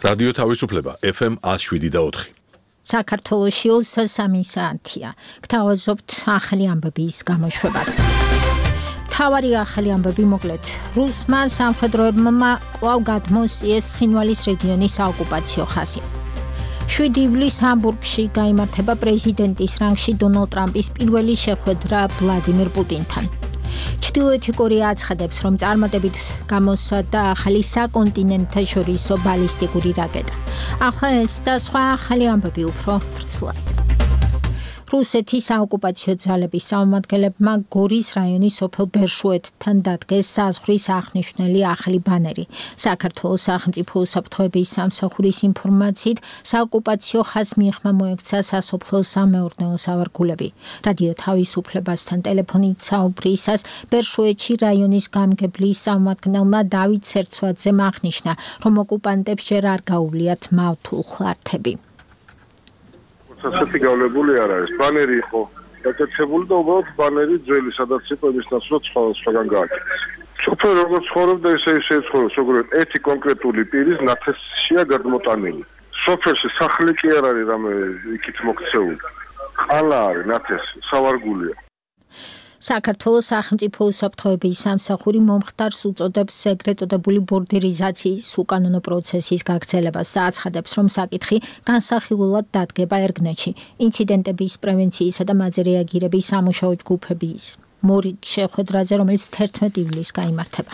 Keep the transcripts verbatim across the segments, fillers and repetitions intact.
რადიო თავისუფლება F M one oh seven და four. საქართველოში სამი საათია. გთავაზობთ ახალი ამბების გამოშვებას. თავარი ახალი ამბები მოკლედ. რუსმა სამხედროებმა კვლავ გადმოუსიეს ცხინვალის რეგიონის საოკუპაციო ხაზი. შვიდი ივლისს ჰამბურგში გაიმართება პრეზიდენტის რანგში დონალდ ტრამპის პირველი შეხვედრა ვლადიმირ პუტინთან. ჩრდილოეთი კორეა აცხადებს, რომ წარმატებით გამოსცადა ახალი საკონტინენტთაშორისო ბალისტიკური რაკეტა. ახლა ეს და სხვა ახალი ამბები უფრო ვრცლად. რუსეთის საოკუპაციო ძალების წარმომადგენლებმა გორის რაიონის სოფელ ბერშუეთთან დადგეს საზღვრის აღნიშნული ახალი ბანერი. საქართველოს სახელმწიფო უსაფრთხოების სამსახურის ინფორმაციით, საოკუპაციო ხაზს მიღმა მოექცა სასოფლო სამეურნეო სავარგულები. რადიო თავისუფლებასთან ტელეფონით საუბრისას ბერშუეთში რაიონის გამგებლის წარმომადგენელმა დავით სერცვაძემ აღნიშნა, რომ ოკუპანტებს ჯერ არ გაუვლიათ მავთულ ხლართები. ასეთი გავლებული არ არის. ბანერი იყო დაკეთებული და უბრალოდ ბანერი ძველი, სადაც იყო იმის ნაცვლად სხვა სხვაგან გააკეთეს. სოფელ როგორც ცხოვრობდა, ისე ისე ცხოვრობს, როგორც ერთი კონკრეტული პირის ნათესშია გადმოტანილი. სოფელში სახლი კი არ არის რამე იქით მოქცეული. ყალა არის ნათესი, სავარგულია. საქართველოს სახელმწიფო უსაფრთხოების სამსახური მომხდარს უწოდებს ეგრეთ წოდებული ბორდერიზაციის უკანონო პროცესის გაგრძელებას და აცხადებს, რომ საკითხი განსახილულად დადგება ერგნეთში. ინციდენტების პრევენციისა და მაზე რეაგირების სამუშაო ჯგუფების მორიგ შეხვედრაზე, რომელიც თერთმეტი ივლისს გაიმართება.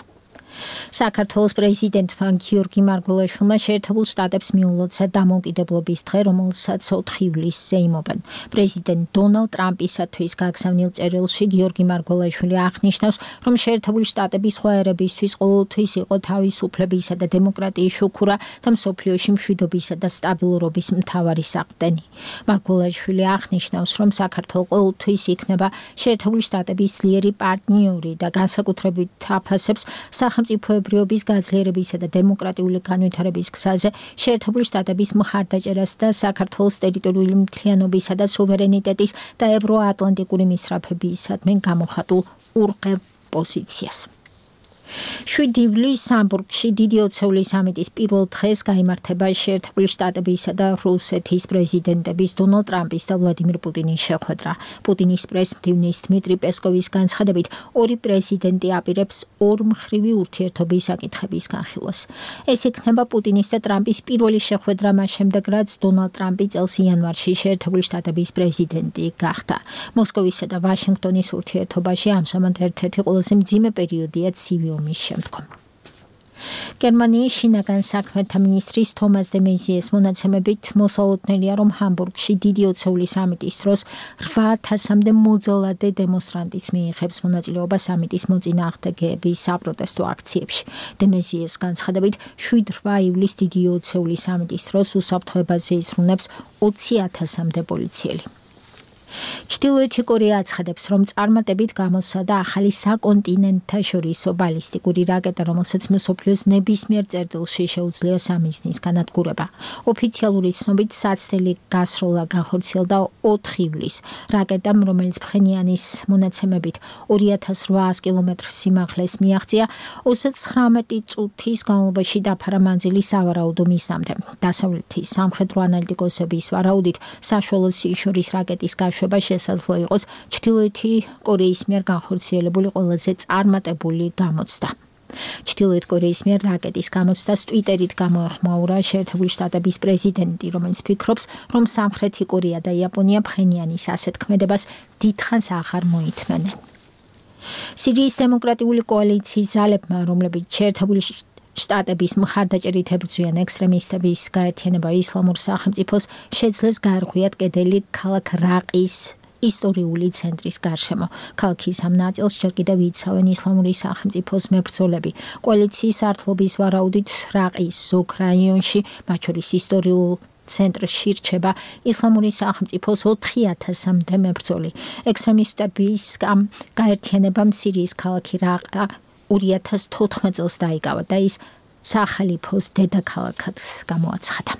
საქართველოს პრეზიდენტმა გიორგი მარგველაშვილმა შეერთებულ შტატებს მიულოცა დამოუკიდებლობის დღე, რომელსაც ოთხი ივლისს ზეიმობენ. პრეზიდენტ დონალდ ტრამპისათვის გაგზავნილ წერილში გიორგი მარგველაშვილი აღნიშნავს, რომ შეერთებული შტატები სხვა ერებისთვის ყოველთვის იყო თავისუფლებისა და დემოკრატიის შუქურა და მსოფლიოში მშვიდობისა და სტაბილურობის მთავარი საყრდენი. მარგველაშვილი აღნიშნავს, რომ საქართველო ყოველთვის იქნება შეერთებული შტატების ძლიერი პარტნიორი და განსაკუთრებით აფასებს სახელმწიფოებრიობის გაძლიერებისა და დემოკრატიული განვითარების გზაზე შეერთებული შტატების მხარდაჭერას და საქართველოს ტერიტორიული მთლიანობისა და სუვერენიტეტის და ევროატლანტიკური მისწრაფებისადმი გამოხატულ ურყევ პოზიციას. შვიდი ივლისს ჰამბურგში დიდი ოცეული სამიტის პირველ დღეს გაიმართება შეერთებული შტატებისა და რუსეთის პრეზიდენტების დონალდ ტრამპის და ვლადიმირ პუტინის შეხვედრა. პუტინის პრეს-მდივნის დმიტრი პესკოვის განცხადებით, ორი პრეზიდენტი აპირებს ორმხრივი ურთიერთობის საკითხების განხილვას. ეს იქნება პუტინის და ტრამპის პირველი შეხვედრა მას შემდეგ, რაც დონალდ ტრამპი წელს იანვარში შეერთებული შტატების პრეზიდენტი გახდა. მოსკოვისა და ვაშინგტონის ურთიერთობაში ამჟამად ერთ-ერთი ყველაზე მძიმე პერიოდია ცივი ომის შემდგომ. გერმანიის შინაგან საქმეთა მინისტრის თომას დე მეზიეს მონაცემებით მოსალოდნელია, რომ ჰამბურგში დიდი ოცეული სამიტის დროს რვა ათასამდე მოძალადე დემონსტრანტიც მიიღებს მონაწილეობას სამიტის მოწინააღმდეგეების საპროტესტო აქციებში. დე მეზიეს განცხადებით, შვიდ რვა ივლისს დიდი ოცეული სამიტის დროს უსაფრთხოებაზე იზრუნებს ოცი ათასამდე პოლიციელი. ჩრდილოეთი კორეა აცხადებს, რომ წარმატებით გამოსცადა ახალი საკონტინენტთაშორისო ბალისტიკური რაკეტა, რომელსაც მსოფლიოს ნებისმიერ წერტილში შეუძლია სამიზნის განადგურება. ოფიციალური ცნობით საცდელი გასროლა განხორციელდა ოთხი ივლისს. რაკეტამ, რომელიც ფხენიანის მონაცემებით ორი ათას რვაას კილომეტრ სიმაღლეს მიაღწია, ოცდაცხრამეტი წუთის განმავლობაში დაფარა მანძილი სავარაუდო მიზნამდე. დასავლეთის სამხედრო ანალიტიკოსების ვარაუდით, საშუალო სიშორის რაკეტის გაშვება შესაძლო იყოს ჩრდილოეთი კორეის მიერ განხორციელებული ყველაზე წარმატებული გამოცდა. ჩრდილოეთ კორეის მიერ რაკეტის გამოცდას ტვიტერით გამოეხმაურა შეერთებული შტატების პრეზიდენტი, რომელიც ფიქრობს, რომ სამხრეთი კორეა და იაპონია ფხენიანის ასეთ ქმედებას დიდხანს აღარ მოითმენენ. სირიის დემოკრატიული კოალიციის ძალებმა, რომლებიც შეერთებული შტატების მხარდაჭერით ებრძვიან ექსტრემისტების გაერთიანება ისლამურ სახელმწიფოს, შეძლეს გაარღვიათ კედელი ქალაქ რაყის ისტორიული ცენტრის გარშემო. ქალაქის ამ ნაწილს ჯერ კიდევ იცავენ ისლამური სახელმწიფოს მებრძოლები. კოალიციის ართლობის ვარაუდით რაყის ზოგ რაიონში, მათ შორის ისტორიულ ცენტრში რჩება ისლამური სახელმწიფოს ოთხი ათასამდე მებრძოლი. ექსტრემისტების ამ გაერთიანებამ სირიის ქალაქი რაყა ორი ათას თოთხმეტ წელს დაიკავა და ის სახალიფოს დედაქალაქად გამოაცხადა.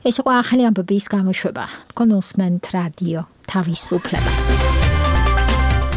ეს იყო ახალი ამბების გამოშვება. თქვენ უსმენთ რადიო თავისუფლებას.